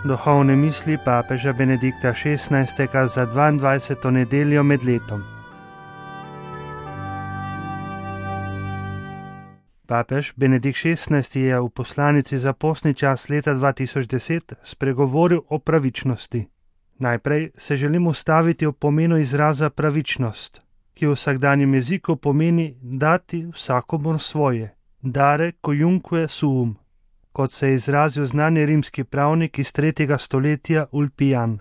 Duhovne misli papeža Benedikta XVI. Za 22. nedeljo med letom. Papež Benedikt XVI. Je v poslanici za postni čas leta 2010 spregovoril o pravičnosti. Najprej se želim ustaviti o pomenu izraza pravičnost, ki v vsakdanjem jeziku pomeni dati vsakomur svoje, dare cuiunque suum, kot se je izrazil znani rimski pravnik iz 3. stoletja Ulpijan.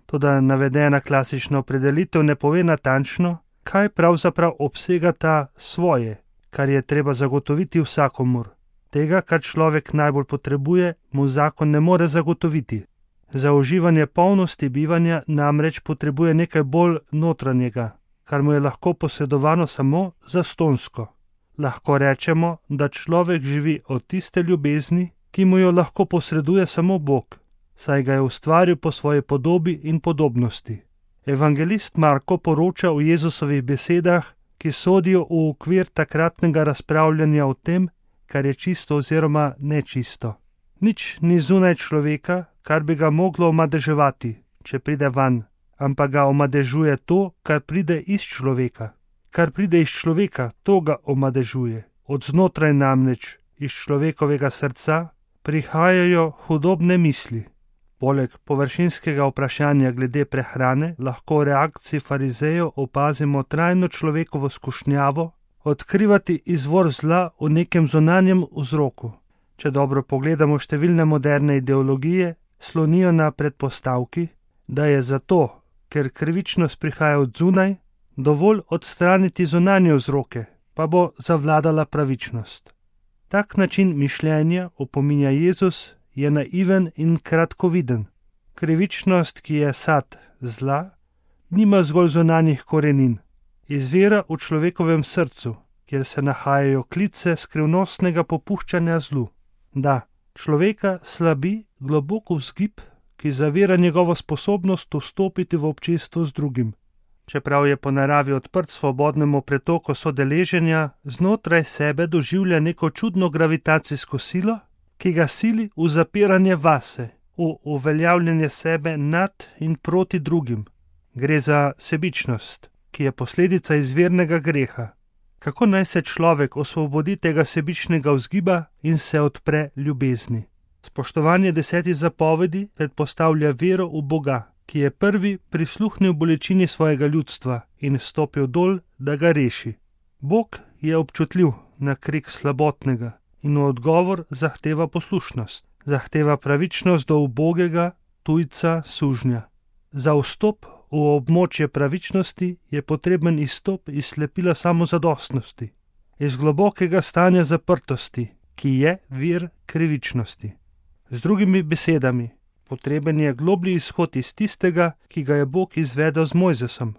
Toda navedena klasična opredelitev ne pove natančno, kaj pravzaprav obsega ta svoje, kar je treba zagotoviti vsakomur. Tega, kar človek najbolj potrebuje, mu zakon ne more zagotoviti. Za uživanje polnosti bivanja namreč potrebuje nekaj bolj notranjega, kar mu je lahko posredovano samo zastonjsko. Lahko rečemo, da človek živi od tiste ljubezni, ki mu jo lahko posreduje samo Bog, saj ga je ustvaril po svoji podobi in podobnosti. Evangelist Marko poroča o Jezusovih besedah, ki sodijo v okvir takratnega razpravljanja o tem, kar je čisto oziroma nečisto. Nič ni zunaj človeka, kar bi ga moglo omadeževati, če pride van, ampak ga omadežuje to, kar pride iz človeka. Kar pride iz človeka, to ga omadežuje. Od znotraj namreč, iz človekovega srca, prihajajo hudobne misli. Poleg površinskega vprašanja glede prehrane lahko v reakciji farizejev opazimo trajno človekovo skušnjavo odkrivati izvor zla v nekem zunanjem vzroku. Če dobro pogledamo, številne moderne ideologije slonijo na predpostavki, da je zato, ker krivičnost prihaja od zunaj, dovolj odstraniti zunanje vzroke, pa bo zavladala pravičnost. Tak način mišljenja, opominja Jezus, je naiven in kratkoviden. Krivičnost, ki je sad zla, nima zgolj zunanjih korenin. Izvira v človekovem srcu, kjer se nahajajo klice skrivnostnega popuščanja zlu. Da, človeka slabi globok vzgib, ki zavira njegovo sposobnost vstopiti v občestvo z drugim. Čeprav je po naravi odprt svobodnemu pretoku sodeleženja, znotraj sebe doživlja neko čudno gravitacijsko silo, ki ga sili v zapiranje vase, v uveljavljanje sebe nad in proti drugim. Gre za sebičnost, ki je posledica izvirnega greha. Kako naj se človek osvobodi tega sebičnega vzgiba in se odpre ljubezni? Spoštovanje 10 zapovedi predpostavlja vero v Boga, ki je prvi prisluhnil bolečini svojega ljudstva in stopil dol, da ga reši. Bog je občutljiv na krik slabotnega in v odgovor zahteva poslušnost. Zahteva pravičnost do ubogega, tujca, sužnja. Za vstop v območje pravičnosti je potreben izstop iz slepila samozadostnosti, iz globokega stanja zaprtosti, ki je vir krivičnosti. Z drugimi besedami, potreben je globlji izhod iz tistega, ki ga je Bog izvedel z Mojzesom.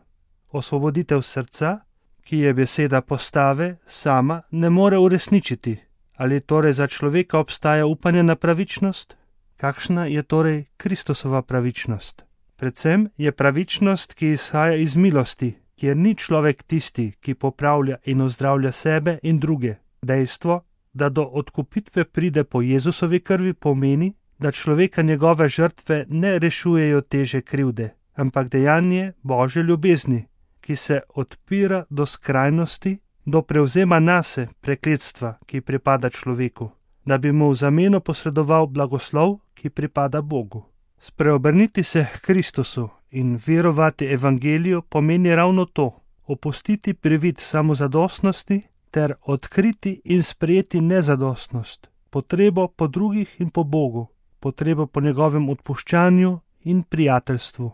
Osvoboditev srca, ki je beseda postave, sama ne more uresničiti. Ali torej za človeka obstaja upanje na pravičnost? Kakšna je torej Kristusova pravičnost? Predvsem je pravičnost, ki izhaja iz milosti, kjer ni človek tisti, ki popravlja in ozdravlja sebe in druge. Dejstvo, da do odkupitve pride po Jezusovi krvi, pomeni, da človeka njegove žrtve ne rešujejo teže krivde, ampak dejanje Božje ljubezni, ki se odpira do skrajnosti, do prevzema nase prekletstva, ki pripada človeku, da bi mu v zameno posredoval blagoslov, ki pripada Bogu. Spreobrniti se k Kristusu in verovati evangeliju pomeni ravno to, opustiti privid samozadostnosti ter odkriti in sprejeti nezadostnost, potrebo po drugih in po Bogu, potrebo po njegovem odpuščanju in prijateljstvu.